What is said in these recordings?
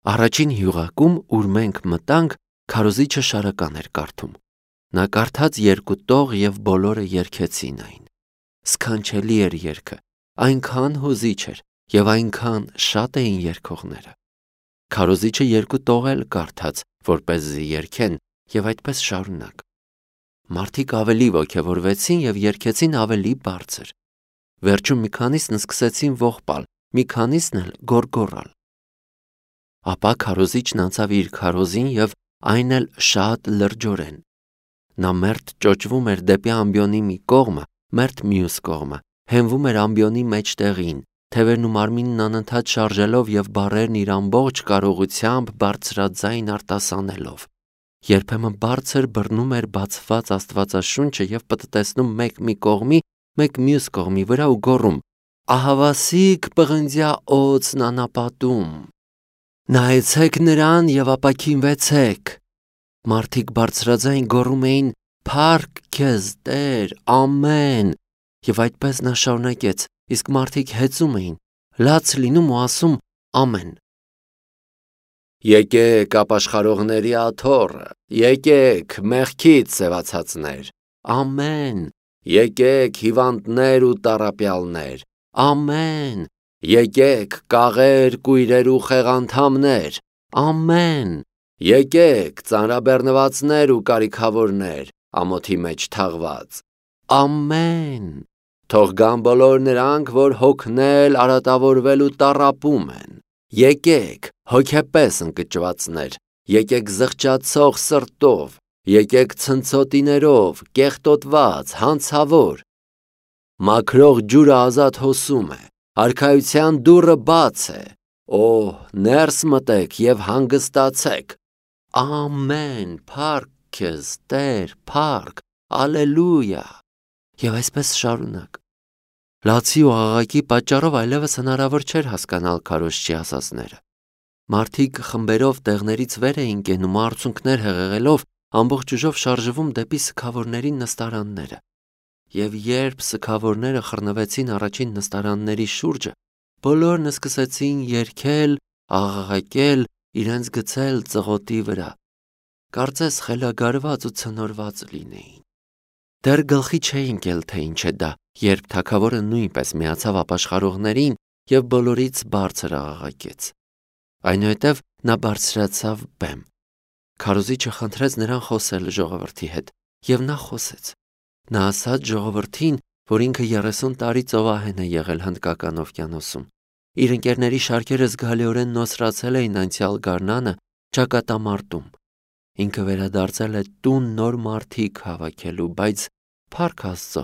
Առաջին հյուղակում, ուր մենք մտանք, քարոզիչը շարական էր կարդում։ Նա կարդաց երկու տող և բոլորը երգեցին այն։ Սքանչելի էր երգը, այնքան հուզիչ էր և այնքան շատ էին երգողները։ Քարոզիչը երկու տող էլ կարդաց, որպեսզի երգեն, և այդպես շարունակ։ Մարդիկ ավելի ոգևորվեցին և երգեցին ավելի բարձր։ Վերջում մի քանիսն սկսեցին ողբալ, մի քանիսն էլ գոռգոռալ։ Ապա քարոզիչն անցավ իր քարոզին և այն էլ շատ լրջորեն։ Նա մերթ ճոճվում էր դեպի ամբիոնի մի կողմը, մերթ մյուս կողմը, հենվում էր ամբիոնի մեջտեղին, թևերն ու մարմինն անընդհատ շարժելով և բառերն իր ամբողջ կարողությամբ բարձրաձայն արտասանելով։ Երբեմն բարձր բռնում էր բացված Աստվածաշունչը և պտտեցնում մեկ մի կողմի, մեկ մյուս կողմի վրա ու գոռում. «Ահավասիկ պղնձյա օձն անապատում, նայեցեք նրան և ապաքինվեցեք»։ Մարդիկ բարձրաձայն գոռում էին. «Փառք քեզ, Տեր, ամեն»։ Եվ այդպես նա շարունակեց, իսկ մարդիկ հեծում էին, լաց լինում ու ասում. «Ամեն»։ Եկեք ապաշխարողների աթոռը, եկեք մեղքից սևացածներ, ամեն, եկեք հիվանդներ ու տառապյալներ, ամեն, եկեք կաղեր, կույրեր ու խեղանդամներ, ամեն, եկեք ծանրաբեռնվածներ ու կարիքավորներ, ամոթի մեջ թաղված, ամեն, թող գան բոլոր նրանք, որ հոգնել, արատավորվել ու տառապում են, եկեք հոգեպես ընկճվածներ, եկեք զղջացող սրտով, եկեք ցնցոտիներով, կեղտոտված, հանցավոր։ Մաքրող ջուրը ազատ հոսում է, արքայության դուռը բաց է, օհ, ներս մտեք և հանգստացեք, ամեն, փառք քեզ, Տեր, փառք, ալելույա։ Եվ այսպես շարունակ։ Լացի ու աղաղակի պատճառով այլևս հնարավոր չէր հասկանալ քարոզչի ասածները։ Մարդիկ խմբերով տեղներից վեր էին կենում ու արցունքներ հեղեղելով ամբողջ ուժով շարժվում դեպի սգավորների նստարանները։ Եվ երբ սգավորները խռնվեցին առաջին նստարանների շուրջը, բոլորն սկսեցին երգել, աղաղակել, իրենց գցել ծղոտի վրա։ Կարծես խելագարված ու ցնորված լինեին։ Դեռ գլխի չէին ընկել, թե ինչ է դա, երբ թագավորը նույնպես միացավ ապաշխարողներին և բոլորից բարձր աղաղակեց։ Այնուհետև նա բարձրացավ բեմ։ Քարոզիչը խնդրեց նրան խոսել ժողովրդի հետ, և նա խոսեց։ Նա ասաց ժողովրդին, որ ինքը 30 տարի ծովահեն է եղել Հնդկական օվկիանոսում։ Իր ընկերների շարքերը զգալիորեն նոսրացել էին անցյալ գարնանը ճակատամարտում։ Ինքը վերադարձել է տուն նոր մարդիկ հավաքելու, բայց փառք Աստծո,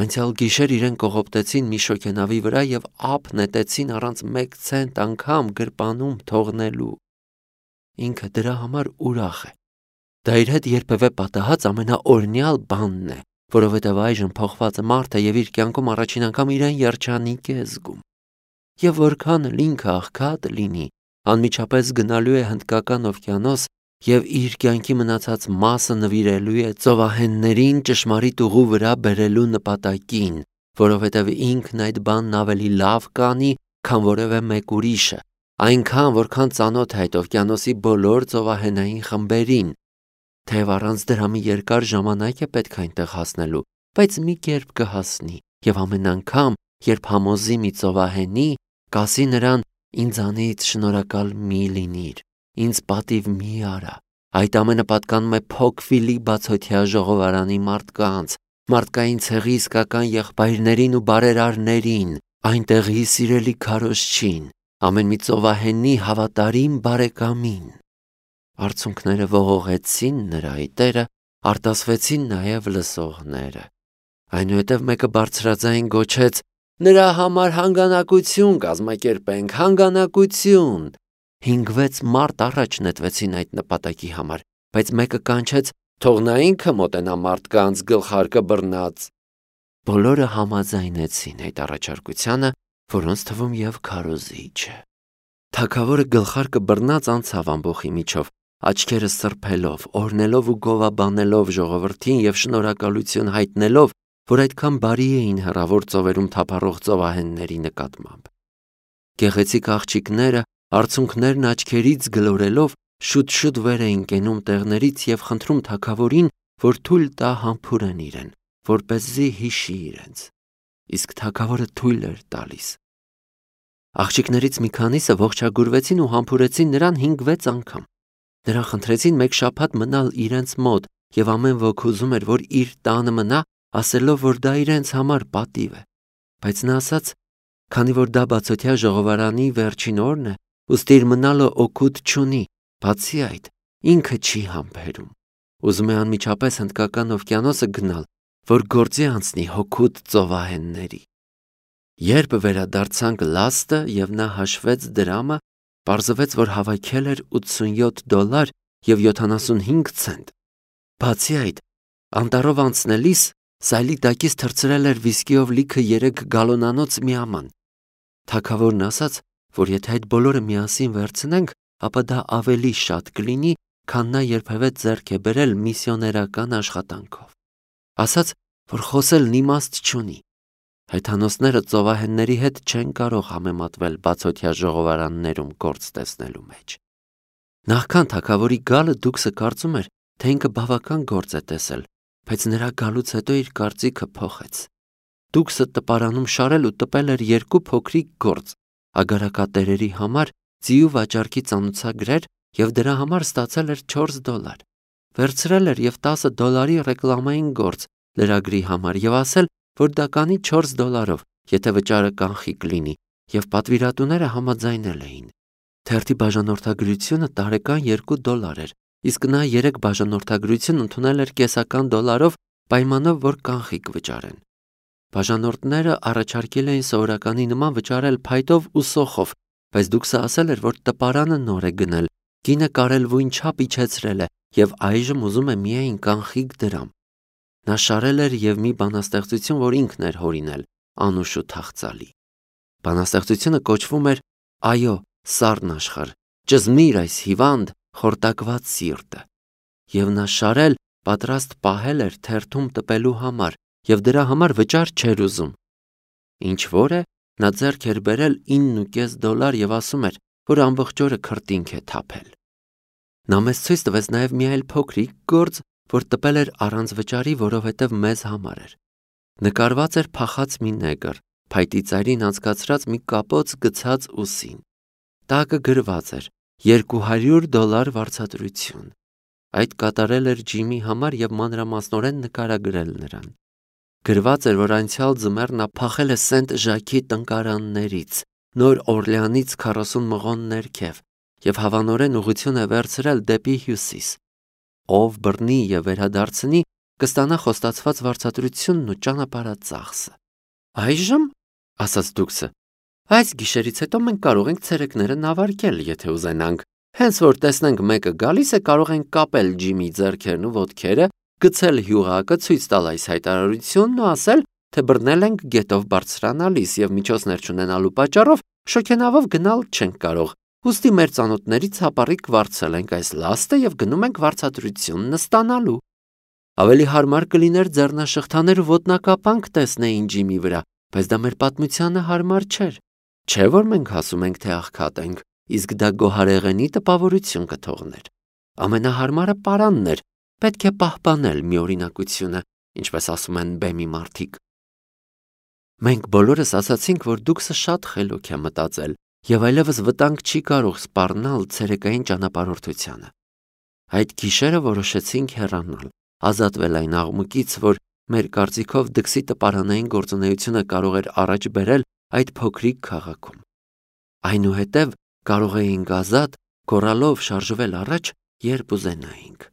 անցյալ գիշեր իրեն կողոպտեցին մի շոգենավի վրա և ափ նետեցին առանց մեկ ցենտ անգամ գրպանում թողնելու։ Ինքը դրա համար ուրախ է։ Դա իր հետ երբևէ պատահած ամենաօրինյալ բանն է, որովհետև այժմ փոխված մարդ է և իր կյանքում առաջին անգամ իրեն երջանիկ է զգում։ Եվ որքան էլ ինքը աղքատ լինի, անմիջապես գնալու է Հնդկական օվկիանոս և իր կյանքի մնացած մասը նվիրելու է ծովահեններին ճշմարիտ ուղու վրա բերելու նպատակին, որովհետև ինքն այդ բանն ավելի լավ կանի, քան որևէ մեկ ուրիշը, այնքան, որքան ծանոթ է այդ օվկիանոսի բոլոր ծովահենային խմբերին, թեև առանց դրա մի երկար ժամանակ է պետք այնտեղ հասնելու, բայց մի կերպ կհասնի, և ամեն անգամ, երբ համոզի մի ծովահենի, կասի նրան. «Ինձանից շնորհակալ մի լինիր, ինձ պատիվ մի արա»։ Այդ ամենը պատկանում է Փոքվիլի բացօթյա ժողովարանի մարդկանց, մարդկային ցեղի իսկական եղբայրներին ու բարերարներին, այնտեղի սիրելի քարոզչին, ամեն մի ծովահենի հավատարիմ բարեկամին։ Արցունքները ողողեցին նրա այտերը, արտասվեցին նաև լսողները։ Այնուհետև մեկը բարձրաձայն գոչեց. «Նրա համար հանգանակություն կազմակերպենք, հանգանակություն»։ 5-6 մարդ առաջ նետվեցին այդ նպատակի համար, բայց մեկը կանչեց. «Թող նա ինքը մոտենա մարդկանց գլխարկը բռնած»։ Բոլորը համաձայնեցին այդ առաջարկությանը, որոնց թվում և քարոզիչը։ Թագավորը գլխարկը բռնած անցավ ամբոխի միջով, աչքերը սրբելով, օրհնելով ու գովաբանելով ժողովրդին և շնորհակալություն հայտնելով, որ այդքան բարի էին հեռավոր ծովերում թափառող ծովահենների նկատմամբ։ Գեղեցիկ աղջիկները Արցունքներն աչքերից գլորելով շուտ-շուտ վեր էին կենում տեղներից եւ խնդրում թագավորին, որ թույլ տա համբուրեն իրեն, որպեսզի հիշի իրենց։ Իսկ թագավորը թույլ էր տալիս։ Աղջիկներից մի քանիսը ողջագուրվեցին ու համբուրեցին նրան 5-6 անգամ։ Նրան խնդրեցին մեկ շաբաթ մնալ իրենց մոտ եւ ամեն ոք ուզում էր, որ իր տանը մնա, ասելով, որ դա իրենց համար պատիվ է։ Բայց նա ասաց, քանի որ դա բացօթյա ժողովարանի վերջին օրն է, ուստի իր մնալը օգուտ չունի, բացի այդ, ինքը չի համբերում։ Ուզում է անմիջապես Հնդկական օվկիանոսը գնալ, որ գործի անցնի հօգուտ ծովահենների։ Երբ վերադարձանք լաստը եւ նա հաշվեց դրամը, պարզվեց, որ հավաքել էր $87 եւ 75 ցենտ։ Բացի այդ, անտառով անցնելիս սայլի տակից թռցրել էր վիսկիով լիքը 3 գալոնանոց միաման։ Թագավորն ասաց, որ եթե այդ բոլորը միասին վերցնենք, ապա դա ավելի շատ կլինի, քան նա երբևէ ձեռք է բերել միսիոներական աշխատանքով։ Ասաց, որ խոսելն իմաստ չունի։ Հեթանոսները ծովահենների հետ չեն կարող համեմատվել բացօթյա ժողովարաններում գործ տեսնելու մեջ։ Նախքան թագավորի գալը Դուքսը կարծում էր, թե ինքը բավական գործ է տեսել, բայց նրա գալուց հետո իր կարծիքը փոխեց։ Դուքսը տպարանում շարել ու տպել էր 2 փոքրիկ գործ, ագարակատերերի համար ձիու վաճառքի ծանուցագրեր եւ դրա համար ստացել էր $4։ Վերցրել էր եւ $10 ռեկլամային գործ լրագրի համար եւ ասել, որ դա կանի $4, եթե վճարը կանխիկ լինի, եւ պատվիրատուները համաձայնել էին։ Թերթի բաժանորդագրությունը տարեկան $2 էր, իսկ նա 3 բաժանորդագրություն ընդունել էր կեսական $1-ով, պայմանով, որ կանխիկ վճարեն։ Բաժանորդները առաջարկել էին սովորականի նման վճարել փայտով ու սոխով, բայց Դուքսը ասել էր, որ տպարանը նոր է գնել, գինը կարելվույն չափ իջեցրել է եւ այժմ ուզում է միայն կանխիկ դրամ։ Նա շարել էր եւ մի բանաստեղծություն, որ ինքն էր հորինել, անուշ ու թախծալի։ Բանաստեղծությունը կոչվում էր «Այո, սառն աշխարհ, ճզմիր այս հիվանդ, խորտակված սիրտը»։ Եվ նա շարել, պատրաստ պահել էր թերթում տպելու համար եւ դրա համար վճար չէր ուզում։ Ինչ որ է, նա ձեռք էր բերել $9.5 եւ ասում էր, որ ամբողջ օրը քրտինք է թափել։ Նա մեզ ցույց տվեց նաեւ մի այլ փոքրիկ գործ, որ տպել էր առանց վճարի, որովհետև մեզ համար էր։ Նկարված էր փախած մի նեգր, փայտի ծայրին անցկացրած մի կապոց գցած ուսին։ Տակը գրված էր $200 վարձատրություն։ Այդ կատարել էր Ջիմի համար եւ մանրամասնորեն նկարագրել նրան։ Գրված էր, որ անցյալ ձմեռ նա փախել է Սենտ Ժակի տնկարաններից, Նոր Օրլեանից 40 մղոն ներքև եւ հավանորեն ուղղություն է վերցրել դեպի հյուսիս։ Ով բռնի եւ վերադարձնի, կստանա խոստացված վարձատրությունն ու ճանապարհածախսը։ Այժմ, ասաց Դուքսը, այս գիշերից հետո մենք կարող ենք ցերեկները նավարկել, եթե ուզենանք։ Հենց որ տեսնենք մեկը գալիս է, կարող ենք կապել Ջիմի ձեռքերն ու ոտքերը, գցել հյուրակը, ցույց տալ այս հայտարարությունն ու ասել, թե բռնել ենք գետով բարձրանալիս եւ միջոցներ չունենալու պատճառով շոքենավով գնալ չենք կարող։ Ուստի մեր ծանոթներից հապառիկ վարձել ենք այս լաստը եւ գնում ենք վարձատրությունն ստանալու։ Ավելի հարմար կլիներ ձեռնաշղթաներ ու ոտնակապանք տեսնեին Ջիմի վրա, բայց դա մեր պատմությանը հարմար չէր։ Չէ՞ որ մենք ասում ենք, թե աղքատ ենք, իսկ դա գոհարեղենի տպավորություն կթողներ։ Ամենահարմարը պարանն էր, պետք է պահպանել մի օրինակությունը, ինչպես ասում են բեմի մարդիկ։ Մենք բոլորս ասացինք, որ Դուքսը շատ խելոք է մտածել եւ այլևս վտանգ չի կարող սպառնալ ցերեկային ճանապարհորդությանը։ Այդ գիշերը որոշեցինք հեռանալ, ազատվել այն աղմուկից, որ մեր կարծիքով դքսի տպարանային գործունեությունը կարող էր առաջ բերել այդ փոքրիկ քաղաքում։ Այնուհետև կարող էինք ազատ գոռալով շարժվել առաջ, երբ ուզենայինք։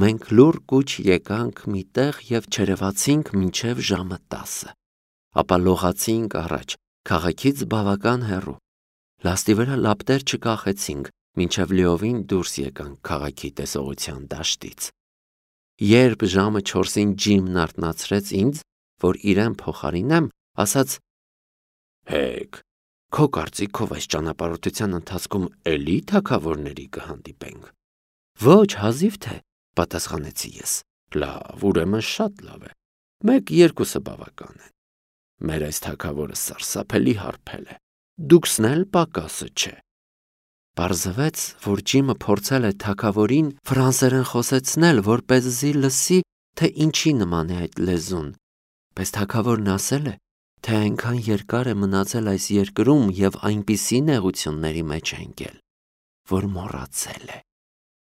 Մենք լուռ կուչ եկանք մի տեղ եւ չերևացինք մինչեւ ժամը 10, ապա լողացինք առաջ, քաղաքից բավական հեռու։ Լաստի վրա լապտեր չկախեցինք, մինչև լիովին դուրս եկանք քաղաքի տեսողության դաշտից։ Երբ ժամը 4-ին Ջիմն արթնացրեց ինձ, որ իրեն փոխարինեմ, ասաց. «Հեկ, քո կարծիքով այս ճանապարհորդության ընթացքում էլի թագավորների կհանդիպենք»։ «Ոչ, հազիվ թե», պատասխանեցի ես։ «Լավ, ուրեմն շատ լավ է։ 1-2-ը բավական են։ Մեր այս թագավորը սարսափելի հարբել է։ Դուքսն էլ պակասը չէ։ Պարզվեց, որ Ջիմը փորձել է թագավորին ֆրանսերեն խոսեցնել, որպեսզի լսի, թե ինչի նման է այդ լեզուն, բայց թագավորն ասել է, թե այնքան երկար է մնացել այս երկրում և այնպիսի նեղությունների մեջ է ընկել, որ մոռացել է։